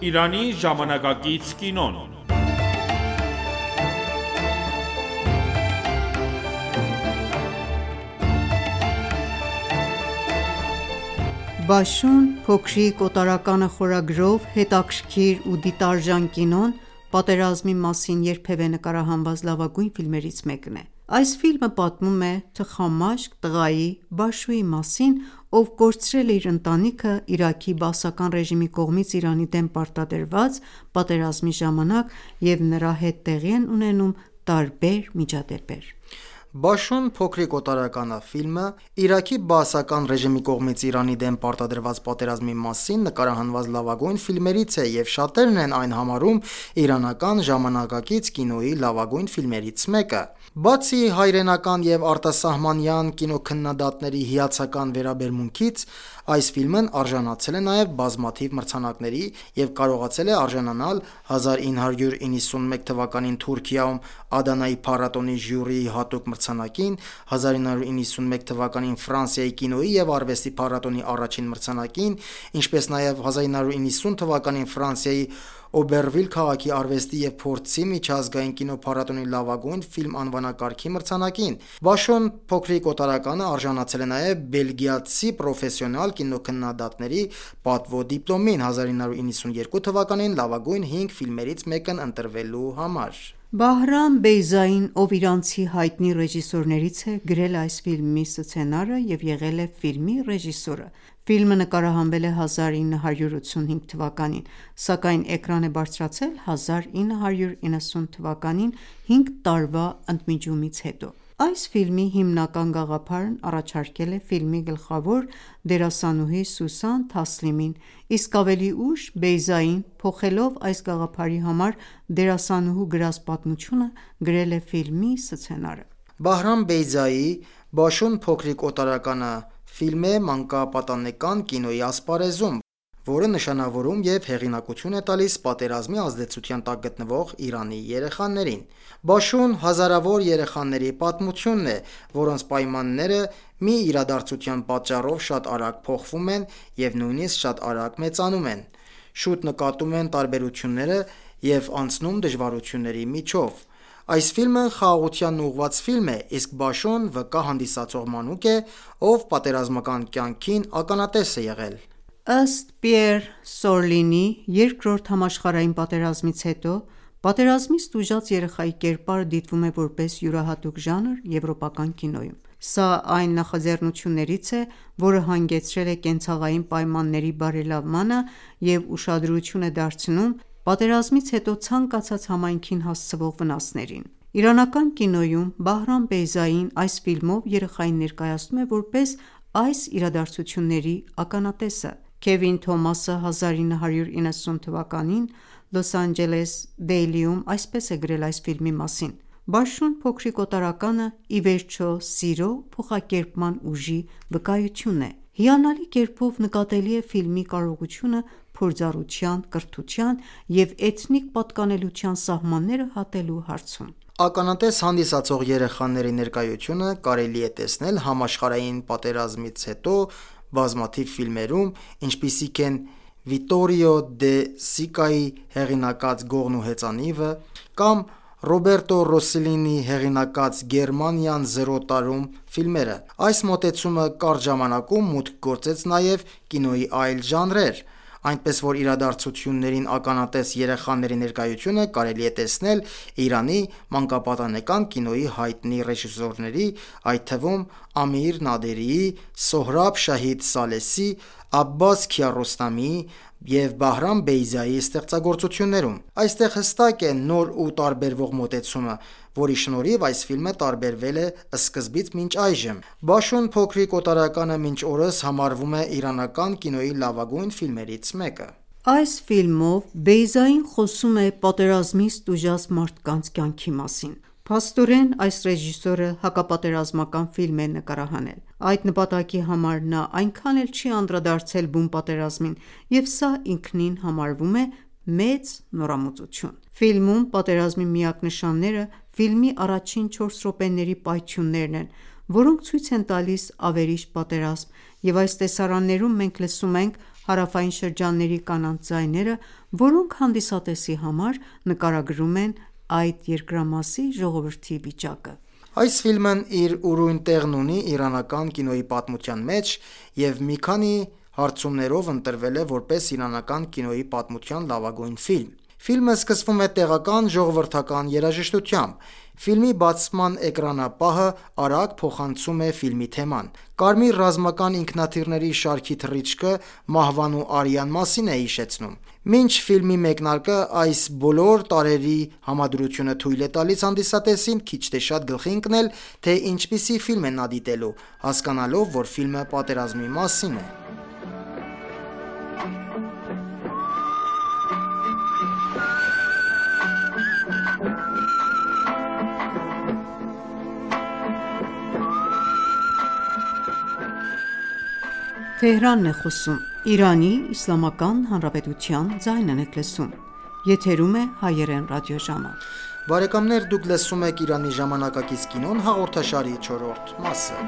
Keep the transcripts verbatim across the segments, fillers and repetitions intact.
Իրանի ժամանակակից կինոն։ Բաշուն փոքրիկ օտարականը խորագրով հետաքրքիր ու դիտարժան կինոն պատերազմի մասին երբևէ նկարահանված լավագույն ֆիլմերից մեկն է։ Այս ֆիլմը պատմում է թխամաշկ տղայի՝ Բաշուի մասին, ով կորցրել է իր ընտանիքը Իրաքի բաասական ռեժիմի կողմից Իրանի դեմ պարտադրված պատերազմի ժամանակ և նրա հետ տեղի են ունենում տարբեր միջադեպեր։ «Բաշուն փոքրիկ օտարականը» ֆիլմը Իրաքի բաասական ռեժիմի կողմից Իրանի դեմ պարտադրված պատերազմի մասին նկարահանված լավագույն ֆիլմերից է և շատերն են այն համարում իրանական ժամանակակից կինոյի լավագույն ֆիլմերից մեկը։ Բացի հայրենական և արտասահմանյան կինոքննադատների հիացական վերաբերմունքից, այս ֆիլմն արժանացել է նաև բազմաթիվ մրցանակների և կարողացել է արժանանալ հազար ինը հարյուր իննսունմեկ թվականին Թուրքիայում Ադանայի փառատոնի ժյուրիի հատուկ մրցանակին, հազար ինը հարյուր իննսունմեկ թվականին Ֆրանսիայի կինոյի և արվեստի փառատոնի առաջին մրցանակին, ինչպես նաև հազար ինը հարյուր իննսուն թվականին Ֆրանսիայի Օբերվիլ քաղաքի արվեստի և փորձի միջազգային կինոփառատոնի լավագույն ֆիլմ անվանակարգի մրցանակին։ «Բաշուն փոքրիկ օտարականը» արժանացել է նաև բելգիացի պրոֆեսիոնալ կինոքննադատների պատվո դիպլոմին՝ հազար ինը հարյուր իննսունյոթ թվականին լավագույն հինգ ֆիլմերից մեկն ընտրվելու համար։ Բահրամ Բեյզային, ով իրանցի հայտնի ռեժիսորներից է, գրել է այս ֆիլմի սցենարը և եղել է ֆիլմի ռեժիսորը։ Ֆիլմը նկարահանվել է հազար ինը հարյուր ութսունհինգ թվականին, սակայն էկրան է բարձրացել հազար ինը հարյուր իննսուն թվականին՝ հինգ տարվա ընդմիջումից հետո։ Այս ֆիլմի հիմնական գաղափարն առաջարկել է ֆիլմի գլխավոր դերասանուհի Սուսան Թասլիմին, իսկ ավելի ուշ Բեյզային, փոխելով այս գաղափարի համար դերասանուհու գրած պատմությունը, գրել է ֆիլմի սցենարը։ Բահրամ Բեյզայի «Բաշուն փոքրիկ օտարականը» ֆիլմ է մանկապատանեկան կինոյի ասպարեզում, որը նշանավորում և հեղինակություն է տալիս պատերազմի ազդեցության տակ գտնվող Իրանի երեխաներին։ Բաշուն հազարավոր երեխաների պատմությունն է, որոնց պայմանները մի իրադարձության պատճառով շատ արագ փոխվում են և նույնիսկ շատ արագ մեծանում են, շուտ նկատում են տարբերությունները և անցնում դժվարությունների միջով։ Այս ֆիլմը խաղաղությանն ուղղված ֆիլմ է, իսկ Բաշուն վկա հանդիսացող մանուկ է, ով պատերազմական կյանքին ականատես է եղել։ Ըստ Պիեր Սորլինի, Երկրորդ համաշխարհային պատերազմից հետո պատերազմից տուժած երեխայի կերպարը դիտվում է որպես յուրահատուկ ժանր եվրոպական կինոյում։ Սա այն նախաձեռնություններից է, որը հանգեցրել է կենցաղային պայմանների բարելավմանը և ուշադրություն է դարձնում պատերազմից հետո ցանկացած համայնքին հասցվող վնասներին։ Իրանական կինոյում Բահրամ Բեյզային այս ֆիլմով երեխային ներկայացնում է որպես այս իրադարձությունների ականատեսը։ Քևին Թոմասը հազար ինը հարյուր իննսուն թվականին Լոս Անջելես Դեյլիում այսպես է գրել այս ֆիլմի մասին. «Բաշուն փոքրիկ օտարականը ի վերջո սիրո փոխակերպման ուժի վկայություն է։ Հիանալի կերպով նկատելի է ֆիլմի կարողությունը փորձառության, կրթության և էթնիկ պատկանելության սահմանները հատելու հարցում»։ Ականատես հանդիսացող երեխաների ներկայությունը կարելի է տեսնել համաշխարհային պատերազմից հետո բազմաթիվ ֆիլմերում, ինչպիսիք են Վիտորիո դե Սիկայի հեղինակած «Գողն ու հեծանիվը» կամ Ռոբերտո Ռոսսելլինի հեղինակած «Գերմանիան զրո տարում» ֆիլմերը։ Այս մոտեցումը կարճ ժամանակում մուտք գործեց նաև կինոյի այլ ժանրեր, այնպես որ իրադարձություններին ականատես երեխաների ներկայությունը կարելի է տեսնել Իրանի մանկապատանեկան կինոյի հայտնի ռեժիսորների, այդ թվում Ամիր Նադերիի, Սոհրաբ Շահիդ Սալեսի, Աբբաս Քիարոստամիի և Բահրամ Բեյզայի ստեղծագործություններում։ Այստեղ հստակ է նոր ու տարբերվող մոտեցումը, որի շնորհիվ այս ֆիլմը տարբերվել է սկզբից մինչ այժմ։ «Բաշուն փոքրիկ օտարականը» մինչ օրս համարվում է իրանական կինոյի լավագույն ֆիլմերից մեկը։ Այս ֆիլմով Բեյզային խոսում է պատերազմից տուժած մարդկանց կյանքի մասին։ Փաստորեն, այս ռեժիսորը հակապատերազմական ֆիլմ է նկարահանել։ Այդ նպատակի համար նա այնքան էլ չի անդրադարձել բուն պատերազմին, և սա ինքնին համարվում է մեծ նորամուծություն։ Ֆիլմում պատերազմի միակ նշանները ֆիլմի առաջին չորս րոպեների պայթյուններն են, որոնք ցույց են տալիս ավերիչ պատերազմ, և այս տեսարաններում մենք լսում ենք հարավային շրջանների կանանց ձայները, որոնք հանդիսատեսի համար նկարագրում են այդ երկրամասի ժողովրդի վիճակը։ Այս ֆիլմն իր ուրույն տեղն ունի իրանական կինոյի պատմության մեջ և մի քանի հարցումներով ընտրվել է որպես իրանական կինոյի պատմության լավագույն ֆիլմ։ Ֆիլմը սկսվում է տեղական ժողովրդական երաժշտությամբ։ Ֆիլմի բացման էկրանապահը արագ փոխանցում է ֆիլմի թեման։ Կարմիր ռազմական ինքնաթիռների շարքի թռիչքը մահվան ու արյան մասին է հիշեցնում։ Մինչ ֆիլմի մեկնարկը այս բոլոր տարրերի համադրությունը թույլ է տալիս հանդիսատեսին քիչ թե շատ գլխի ընկնել, թե ինչպիսի ֆիլմ է նա դիտելու, հասկանալով, որ ֆիլմը պատերազմի մասին է։ Բարեկամներ, դուք լսում եք «Իրանի ժամանակակից կինոն» հաղորդաշարի չորրորդ մասը։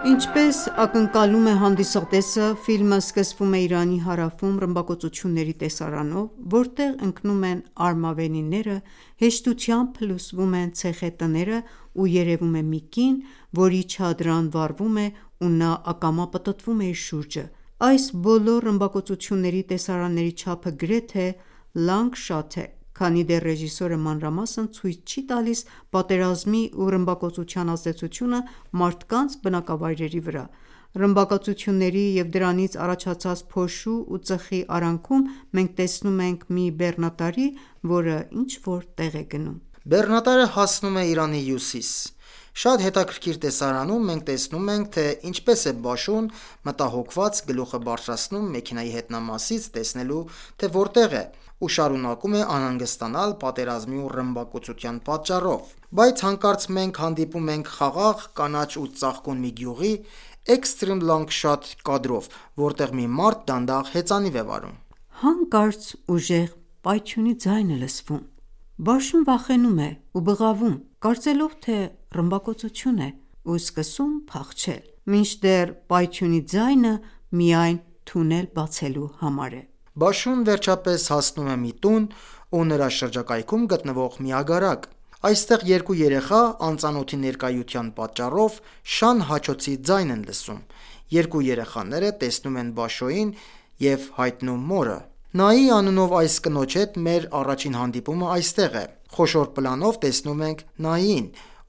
Ինչպես ակնկալում է հանդիսատեսը, ֆիլմը սկսվում է Իրանի հարավում ռմբակոծությունների տեսարանով, որտեղ ընկնում են արմավենիները, հեշտությամբ փլուզվում են ցեխե տները ու երևում է մի կին, որի չադրան վառվում է ու նա ակամա պտտվում է իր շուրջը։ Այս բոլոր ռմբակոծությունների տեսարանների չափը գրեթե լանգ-շատ է, քանի դեռ ռեժիսորը մանրամասն ցույց չի տալիս պատերազմի ու ռմբակոծության ազդեցությունը մարդկանց բնակավայրերի վրա։ Ռմբակոծությունների և դրանից առաջացած փոշու ու ծխի արանքում մենք տեսնում ենք մի բեռնատարի, որը ինչ-որ տեղ է գնում։ Բեռնատարը հասնում է Իրանի հյուսիս։ Շատ հետաքրքիր տեսարանում մենք տեսնում ենք, թե ինչպես է Բաշուն մտահոգված գլուխը բարձրացնում մեքենայի հետնամասից տեսնելու, թե որտեղ է, ու շարունակում է անհանգստանալ պատերազմի ու ռմբակոծության պատճառով։ Բայց հանկարծ մենք հանդիպում ենք խաղաղ, կանաչ ու ծաղկուն մի գյուղի էքստրեմ լանգ-շոտ կադրով, որտեղ մի մարդ դանդաղ հեծանիվ է վարում։ Հանկարծ ուժեղ պայթյունի ձայն է լսվում։ Բաշուն վախենում է ու բղավում, կարծելով, թե ռմբակոծություն է, ու սկսում փախչել, մինչդեռ պայթյունի ձայնը միայն թունել բացելու համար է։ Բաշուն վերջապես հասնում է մի տուն ու նրա շրջակայքում գտնվող մի ագարակ։ Այստեղ երկու երեխա անծանոթի ներկայության պատճառով շան հաչոցի ձայն են լսում։ Երկու երեխաները տեսնում են Բաշոյին և հայտնում մորը։ Նայի անունով այս կնոջ հետ մեր առաջին հանդիպումը այստեղ է։ Խոշոր պլանով տեսնում ենք Նայիին,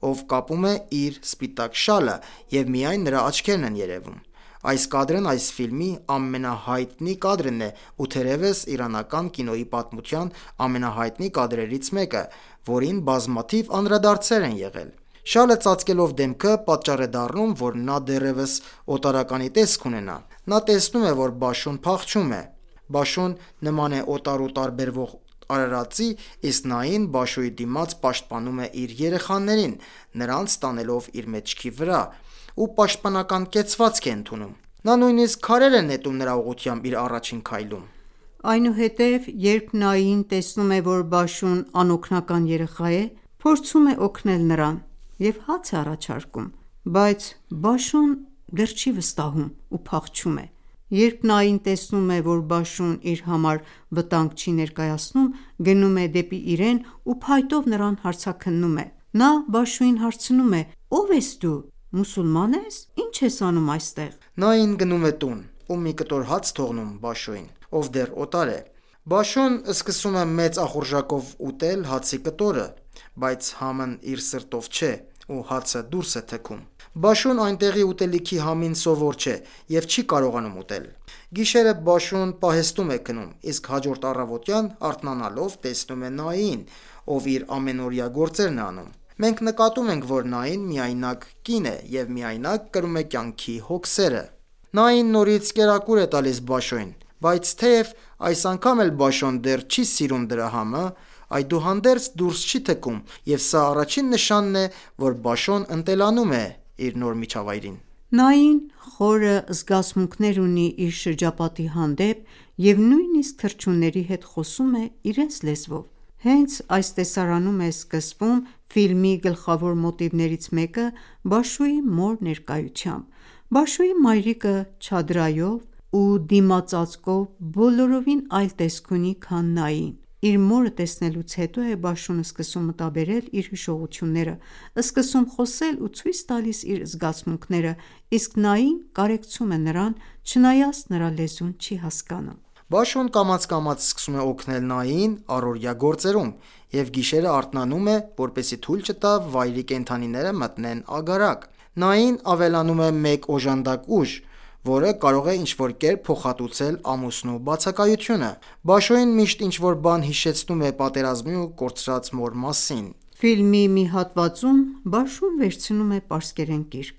ով կապում է իր սպիտակ շալը, և միայն նրա աչքերն են երևում։ Այս կադրն այս ֆիլմի ամենահայտնի կադրն է ու թերևս իրանական կինոյի պատմության ամենահայտնի կադրերից մեկը, որին բազմաթիվ անդրադարձեր են եղել։ Շալը ծածկելով դեմքը պատճառ է դառնում, որ նա դեռևս օտարականի տեսք ունենա։ Նա տեսնում է, որ Բաշուն փախչում է։ Բաշուն նման է օտար ու տարբերվող արարածի, իսկ Նային Բաշուի դիմաց պաշտպանում է իր երեխաներին, նրանց տանելով իր մեջքի վրա, ու պաշտպանական կեցվածք է ընդունում։ Նա նույնիսկ քարեր է նետում նրա ուղղությամբ իր առաջին քայլում։ Այնուհետև, երբ Նային տեսնում է, որ Բաշուն անօգնական երեխա է, փորձում է օգնել նրան և հաց է առաջարկում, բայց Բաշուն դեռ չի վստահում ու փախչում է։ Երբ Նային տեսնում է, որ Բաշուն իր համար վտանգ չի ներկայացնում, գնում է դեպի իրեն ու փայտով նրան հարցաքննում է։ Նա Բաշուին հարցնում է. «Ո՞վ ես դու, մուսուլման ես, ի՞նչ ես անում այստեղ»։ Նային գնում է տուն ու մի կտոր հաց թողնում Բաշուին, ով դեռ օտար է։ Բաշուն սկսում է մեծ ախորժակով ուտել հացի կտորը, բայց համն իր սրտով չէ ու հացը դուրս է թքում։ Բաշուն այնտեղի ուտելիքի համին սովոր չէ և չի կարողանում ուտել։ Գիշերը Բաշուն պահեստում է քնում, իսկ հաջորդ առավոտյան արթնանալով տեսնում է Նային, ով իր ամենօրյա գործերն է անում։ Մենք նկատում ենք, որ Նային միայնակ կին է և միայնակ կրում է կյանքի հոգսերը։ Նային նորից կերակուր է տալիս Բաշոյին, բայց թեև այս անգամ էլ Բաշոն դեռ չի սիրում դրա համը, այդուհանդերձ դուրս չի թքում, և սա առաջին նշանն է, որ Բաշոն ընտելանում է իր նոր միջավայրին։ Նային խորը զգացմունքներ ունի իր շրջապատի հանդեպ և նույնիսկ թռչունների հետ խոսում է իրենց լեզվով։ Հենց այս տեսարանում է սկսվում ֆիլմի գլխավոր մոտիվներից մեկը Բաշուի մոր ներկայությամբ: Բաշուի մայրիկը չադրայով ու դիմածածկով բոլորովին այլ տեսք ունի, քան Նային: Իր մորը տեսնելուց հետո է Բաշուն սկսում մտաբերել իր հիշողությունները, սկսում խոսել ու ցույց տալիս իր զգացմունքները, իսկ Նային կարեկցում է նրան, չնայած նրա լեզուն չի հասկանում: Բաշուն կամաց-կամաց սկսում է օգնել Նայիին առօրյա գործերում և գիշերը արթնանում է, որպեսզի թույլ չտա վայրի կենդանիները մտնեն ագարակ: Նային ավելանում է մեկ օժանդակ ուժ, որը կարող է ինչ-որ կերպ փոխհատուցել ամուսնու բացակայությունը: Բաշուին միշտ ինչ-որ բան հիշեցնում է պատերազմի ու կորցրած մոր մասին: Ֆիլմի մի հատվածում Բաշուն վերցնում է պարսկերեն գիրք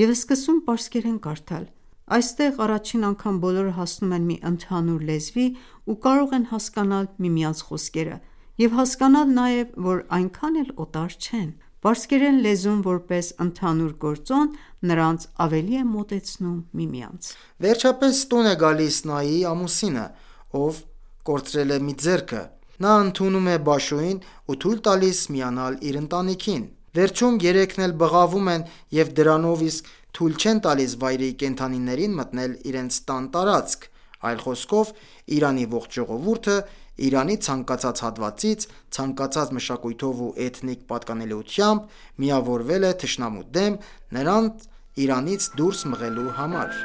և սկսում պարսկերեն կարդալ: Այստեղ առաջին անգամ բոլորը հասնում են մի ընդհանուր լեզվի ու կարող են հասկանալ միմյանց խոսքերը և հասկանալ նաև, որ այնքան էլ օտար չեն: Պարսկերեն լեզուն որպես ընդհանուր գործոն նրանց ավելի է մոտեցնում միմյանց: Վերջապես տուն է գալիս Նայիի ամուսինը, ով կորցրել է մի ձեռքը: Նա ընդունում է Բաշուին ու թույլ տալիս միանալ իր ընտանիքին: Վերջում երեքն էլ բղավում են և դրանով իսկ թույլ չեն տալիս վայրի կենդանիներին մտնել իրենց տան տարածք: Այլ խոսքով, Իրանի ողջ ժողովուրդը Իրանի ցանկացած հատվածից, ցանկացած մշակույթով ու էթնիկ պատկանելիությամբ միավորվել է թշնամու դեմ, նրան Իրանից դուրս մղելու համար: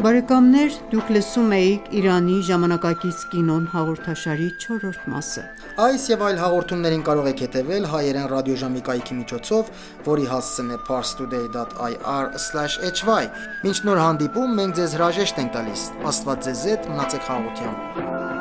Բարեկամներ դուք լսում էիք «Իրանի ժամանակակից կինոն» հաղորդաշարի չորրորդ մասը: Այս և այլ հաղորդումներին կարող եք հետևել հայերեն ռադիոժամի կայքի միջոցով, որի հասցեն է parstoday dot i r slash h y: Մինչ նոր հանդիպում, մենք ձեզ հրաժեշտ ենք տալիս: Աստված ձեզ հետ, մնացեք խաղաղությամբ: